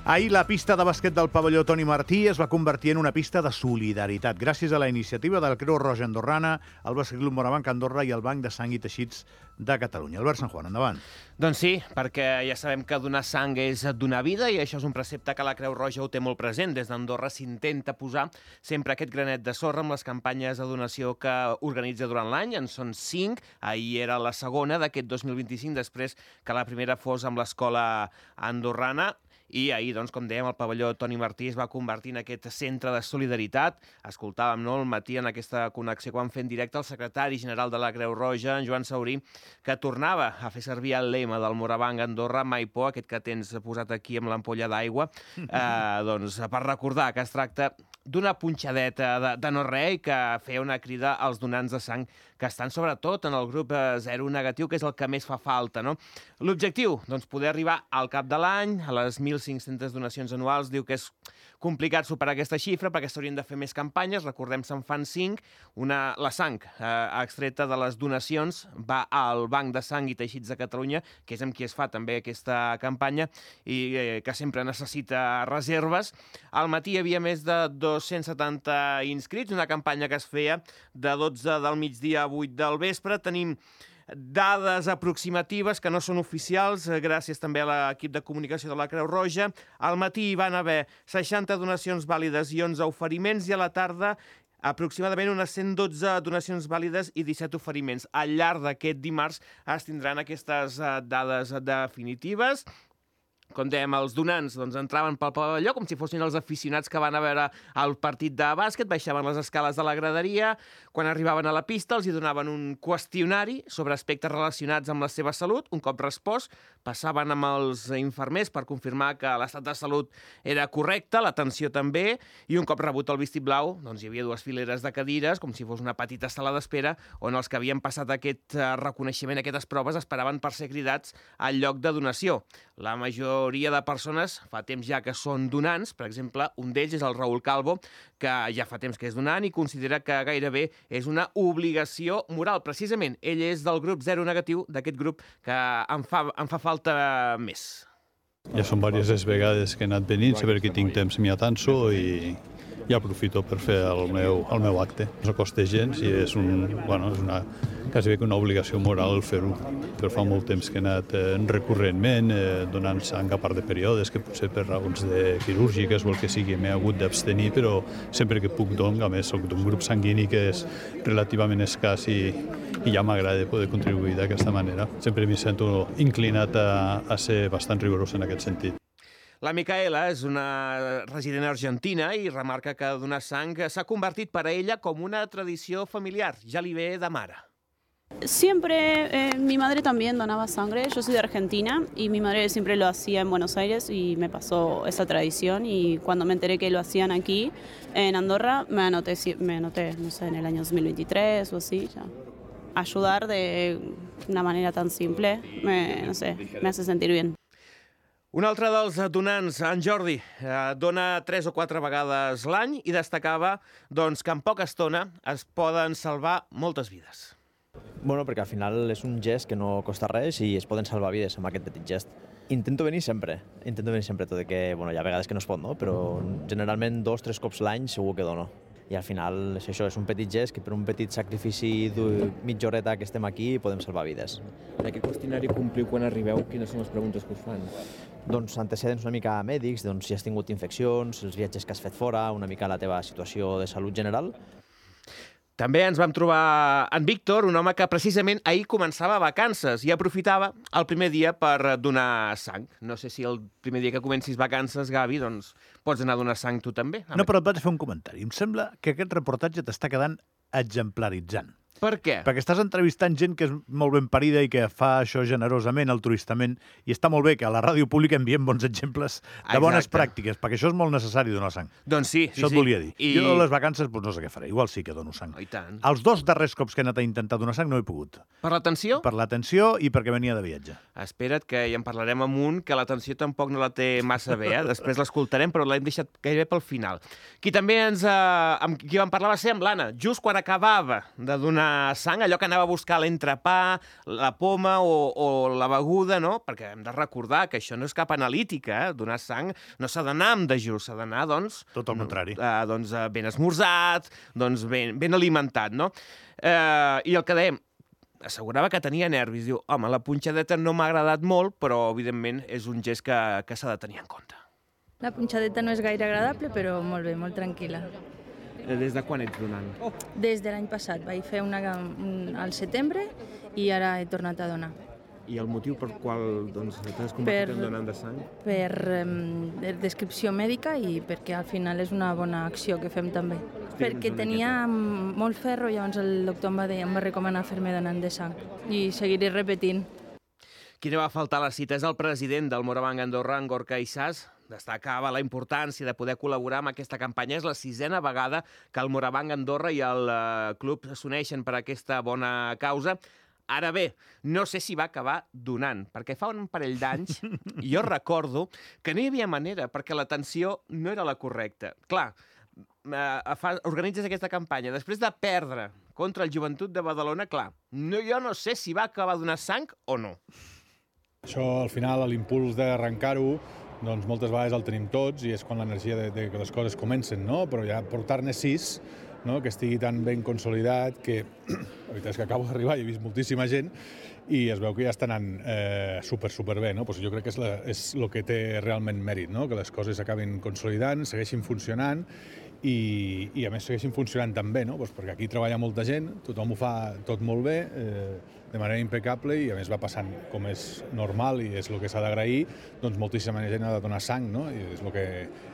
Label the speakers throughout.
Speaker 1: Ahir la pista de bàsquet del pavelló Toni Martí es va convertir en una pista de solidaritat gràcies a la iniciativa de la Creu Roja Andorrana, el Bàsquet Club Morabanc Andorra i el Banc de Sang i Teixits de Catalunya. Albert San Juan, endavant.
Speaker 2: Doncs sí, perquè ja sabem que donar sang és donar vida i això és un precepte que la Creu Roja ho té molt present. Des d'Andorra s'intenta posar sempre aquest granet de sorra amb les campanyes de donació que organitza durant l'any. En són 5, ahir era la segona d'aquest 2025, després que la primera fos amb l'escola andorrana. I ahir, doncs, com dèiem, el pavelló Toni Martí es va convertir en aquest centre de solidaritat. Escoltàvem, no?, al matí en aquesta connexió que vam fer en directe el secretari general de la Creu Roja, en Joan Saurí, que tornava a fer servir el lema del Morabanc Andorra, mai por, aquest que tens posat aquí amb l'ampolla d'aigua, doncs, per recordar que es tracta d'una punxadeta de no res i que feia una crida als donants de sang que estan sobretot en el grup 0 negatiu, que és el que més fa falta, no? L'objectiu, doncs, poder arribar al cap de l'any, a les 1.500 donacions anuals. Diu que és complicat superar aquesta xifra perquè s'haurien de fer més campanyes. Recordem, se'n fan 5. La sang extreta de les donacions va al Banc de Sang i Teixits de Catalunya, que és amb qui es fa també aquesta campanya i que sempre necessita reserves. Al matí hi havia més de 270 inscrits, una campanya que es feia de 12 del migdia a 8 del vespre. Tenim dades aproximatives que no són oficials, gràcies també a l'equip de comunicació de la Creu Roja. Al matí hi van haver 60 donacions vàlides i 11 oferiments, i a la tarda aproximadament unes 112 donacions vàlides i 17 oferiments. Al llarg d'aquest dimarts es tindran aquestes dades definitives. Com dèiem, els donants entraven pel pavelló com si fossin els aficionats que van a veure el partit de bàsquet, baixaven les escales de la graderia, quan arribaven a la pista els hi donaven un qüestionari sobre aspectes relacionats amb la seva salut. Un cop respost, passaven amb els infermers per confirmar que l'estat de salut era correcte, l'atenció també, i un cop rebut el vistiplau, doncs hi havia 2 fileres de cadires, com si fos una petita sala d'espera, on els que havien passat aquest reconeixement, aquestes proves, esperaven per ser cridats al lloc de donació. La majoria de persones fa temps ja que són donants. Per exemple, un d'ells és el Raül Calvo, que ja fa temps que és donant i considera que gairebé és una obligació moral. Precisament, ell és del grup 0 negatiu, d'aquest grup que em fa falta més.
Speaker 3: Ja són diverses vegades que he anat venint, sempre que tinc temps m'hi atanso i aprofito per fer el meu acte. No costa gens i és quasi bé que una obligació moral fer-ho. Però fa molt temps que he anat recurrentment donant sang a part de períodes, que potser per raons quirúrgiques o el que sigui m'he hagut d'abstenir, però sempre que puc a més soc d'un grup sanguini que és relativament escàs i ja m'agrada poder contribuir d'aquesta manera. Sempre m'hi sento inclinat a ser bastant rigorós en aquest sentit.
Speaker 2: La Micaela és una resident argentina i remarca que donar sang s'ha convertit per a ella com una tradició familiar. Ja li ve de mare.
Speaker 4: Siempre, mi madre también donaba sangre. Yo soy de Argentina y mi madre siempre lo hacía en Buenos Aires y me pasó esa tradición, y cuando me enteré que lo hacían aquí en Andorra me anoté, no sé, en el año 2023 o así, ya. Ayudar de una manera tan simple, me hace sentir bien.
Speaker 2: Un altre dels donants, en Jordi, dona 3 o 4 vegades l'any i destacava que en poca estona es poden salvar moltes vides.
Speaker 5: Bueno, perquè al final és un gest que no costa res i es poden salvar vides amb aquest petit gest. Intento venir sempre, tot i que hi ha vegades que no es pot, no? Però generalment 2 o 3 cops l'any segur que dono. I al final és això, és un petit gest que per un petit sacrifici de mitja horeta que estem aquí podem salvar vides.
Speaker 6: En aquest qüestionari compliu quan arribeu, quines són les preguntes que us fan?
Speaker 5: Doncs antecedents una mica mèdics, si has tingut infeccions, els viatges que has fet fora, una mica la teva situació de salut general.
Speaker 2: També ens vam trobar en Víctor, un home que precisament ahir començava vacances i aprofitava el primer dia per donar sang. No sé si el primer dia que comencis vacances, Gavi, doncs pots anar a donar sang tu també.
Speaker 1: No, però et vaig fer un comentari. Em sembla que aquest reportatge t'està quedant exemplaritzant.
Speaker 2: Per què?
Speaker 1: Perquè estàs entrevistant gent que és molt ben parida i que fa això generosament, altruistament, i està molt bé que a la ràdio pública enviem bons exemples de bones pràctiques, perquè això és molt necessari, donar sang.
Speaker 2: Doncs sí.
Speaker 1: Això et volia dir. Jo a les vacances no sé què faré, igual sí que dono sang.
Speaker 2: I tant.
Speaker 1: Els 2 darrers cops que he anat a intentar donar sang no he pogut.
Speaker 2: Per l'atenció?
Speaker 1: Per l'atenció i perquè venia de viatge.
Speaker 2: Espera't, que ja en parlarem amb un, que l'atenció tampoc no la té massa bé, després l'escoltarem, però l'hem deixat gairebé pel final. Qui també amb qui vam parlar va ser amb l'Anna, just quan acabava de donar donar sang, allò que anava a buscar l'entrepà, la poma o la beguda, no? Perquè hem de recordar que això no és cap analítica, donar sang no s'ha d'anar amb dejú, s'ha d'anar, doncs...
Speaker 1: Tot el contrari.
Speaker 2: Ben esmorzat, doncs ben alimentat, no? I el que dèiem, assegurava que tenia nervis. Diu, home, la punxadeta no m'ha agradat molt, però, evidentment, és un gest que s'ha de tenir en compte.
Speaker 7: La punxadeta no és gaire agradable, però molt bé, molt tranquil·la.
Speaker 6: Des de quan ets donant?
Speaker 7: Des de l'any passat. Vaig fer una al setembre i ara he tornat a donar.
Speaker 6: I el motiu per qual t'has convertit en donant de sang?
Speaker 7: Per descripció mèdica i perquè al final és una bona acció que fem també. Perquè tenia molt ferro, llavors el doctor em va recomanar fer-me donant de sang i seguiré repetint.
Speaker 2: Qui no va faltar a la cita és el president del Morabanc Andorra, en Gorka Issàs. Destacava la importància de poder col·laborar amb aquesta campanya. És la 6a vegada que el Morabanc Andorra i el club s'uneixen per aquesta bona causa. Ara bé, no sé si va acabar donant, perquè fa un parell d'anys jo recordo que no hi havia manera, perquè l'atenció no era la correcta. Clar, organitzes aquesta campanya, després de perdre contra el Joventut de Badalona, clar, jo no sé si va acabar donant sang o no.
Speaker 8: Això, al final, l'impuls d'arrencar-ho, doncs moltes vegades el tenim tots i és quan l'energia de que les coses comencen, no? Però ja portar-ne 6, no? Que estigui tan ben consolidat que la veritat és que acabo d'arribar i he vist moltíssima gent i es veu que ja està anant superbé, no? Pues jo crec que és el que té realment mèrit, no? Que les coses acabin consolidant, segueixin funcionant i a més segueixin funcionant tan bé, no? Pues perquè aquí treballa molta gent, tothom ho fa tot molt bé, de manera impecable i a més va passant com és normal i és el que s'ha d'agrair, doncs moltíssima gent ha de donar sang, no? I és el que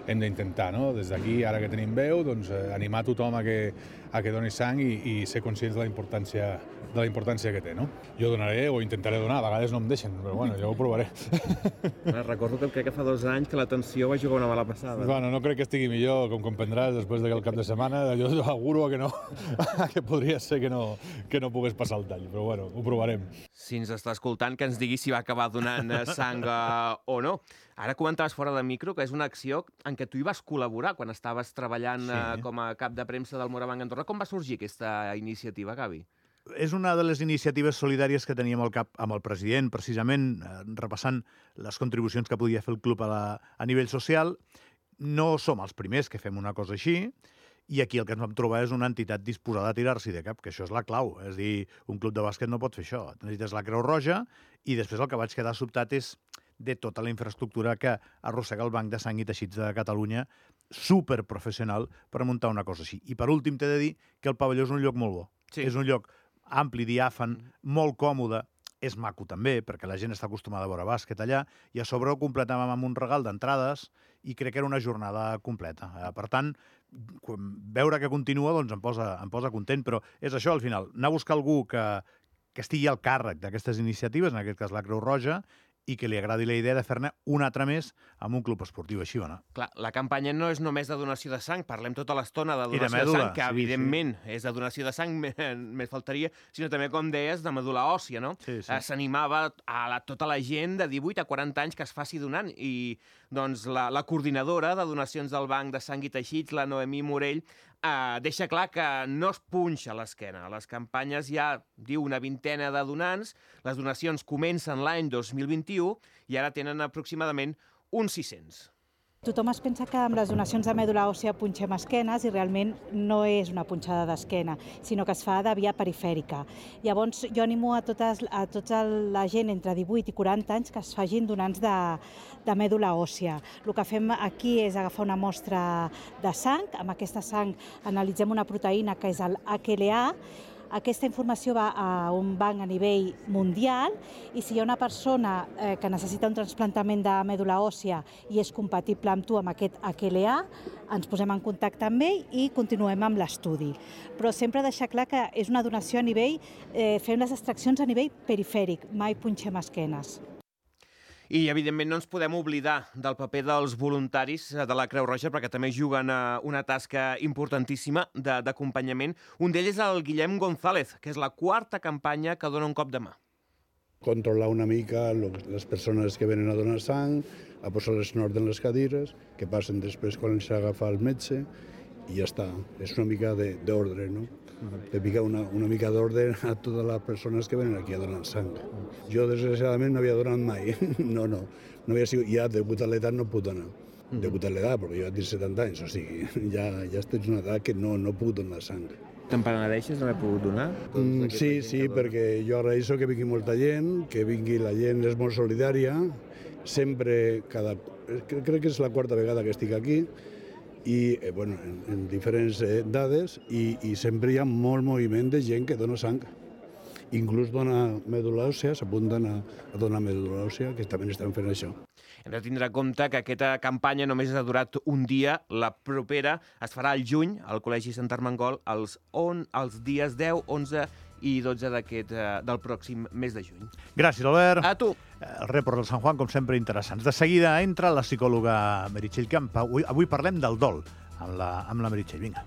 Speaker 8: hem d'intentar, no? Des d'aquí, ara que tenim veu, doncs animar tothom a que doni sang i ser conscients de la importància que té, no? Jo donaré o intentaré donar, a vegades no em deixen, però bueno, jo ho provaré.
Speaker 6: Recordo que crec que fa 2 anys que l'atenció va jugar una mala passada.
Speaker 8: Bueno, no crec que estigui millor, com comprendràs, després del cap de setmana, jo auguro que no, que podria ser que no pogués passar el tall, però bueno, ho provarem.
Speaker 2: Si ens està escoltant, que ens digui si va acabar donant sang o no. Ara comentaves fora de micro que és una acció en què tu hi vas col·laborar quan estaves treballant com a cap de premsa del Morabanc Andorra. Com va sorgir aquesta iniciativa, Gavi?
Speaker 1: És una de les iniciatives solidàries que teníem al cap amb el president, precisament repassant les contribucions que podia fer el club a nivell social. No som els primers que fem una cosa així, i aquí el que ens vam trobar és una entitat disposada a tirar-s'hi de cap, que això és la clau. És dir, un club de bàsquet no pot fer això. Necessites la Creu Roja, i després el que vaig quedar sobtat és de tota la infraestructura que arrossega el Banc de Sang i Teixits de Catalunya, superprofessional per muntar una cosa així. I per últim t'he de dir que el pavelló és un lloc molt bo. Sí. És un lloc ampli, diàfan, molt còmode, és maco també, perquè la gent està acostumada a veure bàsquet allà, i a sobre ho completàvem amb un regal d'entrades i crec que era una jornada completa. Per tant, veure que continua doncs em posa content, però és això, al final, anar a buscar algú que estigui al càrrec d'aquestes iniciatives, en aquest cas la Creu Roja, i que li agradi la idea de fer-ne una altra més amb un club esportiu així, no?
Speaker 2: Clar, la campanya no és només de donació de sang, parlem tota l'estona de donació de sang, que evidentment és de donació de sang, més faltaria, sinó també, com deies, de medul·la òssia, no? S'animava a tota la gent de 18 a 40 anys que es faci donant, i doncs la coordinadora de donacions del Banc de Sang i Teixits, la Noemí Morell, deixa clar que no es punxa a l'esquena. A les campanyes hi ha, diu, una vintena de donants, les donacions comencen l'any 2021 i ara tenen aproximadament uns 600.
Speaker 9: Tothom es pensa que amb les donacions de mèdula òssia punxem esquenes i realment no és una punxada d'esquena, sinó que es fa de via perifèrica. Llavors jo animo a tota la gent entre 18 i 40 anys que es facin donants de mèdula òssia. El que fem aquí és agafar una mostra de sang, amb aquesta sang analitzem una proteïna que és el HLA. Aquesta informació va a un banc a nivell mundial i si hi ha una persona que necessita un trasplantament de mèdula òssia i és compatible amb tu amb aquest HLA, ens posem en contacte amb ell i continuem amb l'estudi. Però sempre deixar clar que és una donació a nivell, fem les extraccions a nivell perifèric, mai punxem esquenes.
Speaker 2: I, evidentment, no ens podem oblidar del paper dels voluntaris de la Creu Roja, perquè també juguen una tasca importantíssima d'acompanyament. Un d'ells és el Guillem González, que és la 4a campanya que dona un cop de mà.
Speaker 10: Controlar una mica les persones que venen a donar sang, a posar-les en ordre en les cadires, que passen després quan s'agafa el metge, i ja està. És una mica d'ordre, no? De picar una mica d'ordre a totes les persones que venen aquí a donar sang. Jo, desgraciadament, no havia donat mai. No havia sigut... Ja, degut a l'edat, no puc donar. Degut a l'edat, perquè jo tinc 70 anys, o sigui, ja estic en una edat que no puc donar sang.
Speaker 6: Te'n penedeixes d'haver pogut donar?
Speaker 10: Sí, perquè jo agraeixo que vingui molta gent, que vingui la gent, és molt solidària, sempre, crec que és la quarta vegada que estic aquí, i en diferents dades, i sempre hi ha molt moviment de gent que dona sang. Inclús dona medul·la òssia, s'apunten a donar medul·la òssia, que també estan fent això.
Speaker 2: Hem de tindre en compte que aquesta campanya només ha durat un dia. La propera es farà al juny, al Col·legi Sant Armengol, els dies 10, 11 i 12 del pròxim mes de juny.
Speaker 1: Gràcies, Albert.
Speaker 2: A tu.
Speaker 1: El report del Sant Juan, com sempre, interessants. De seguida entra la psicòloga Meritxell Camp. Avui parlem del dol amb la Meritxell. Vinga.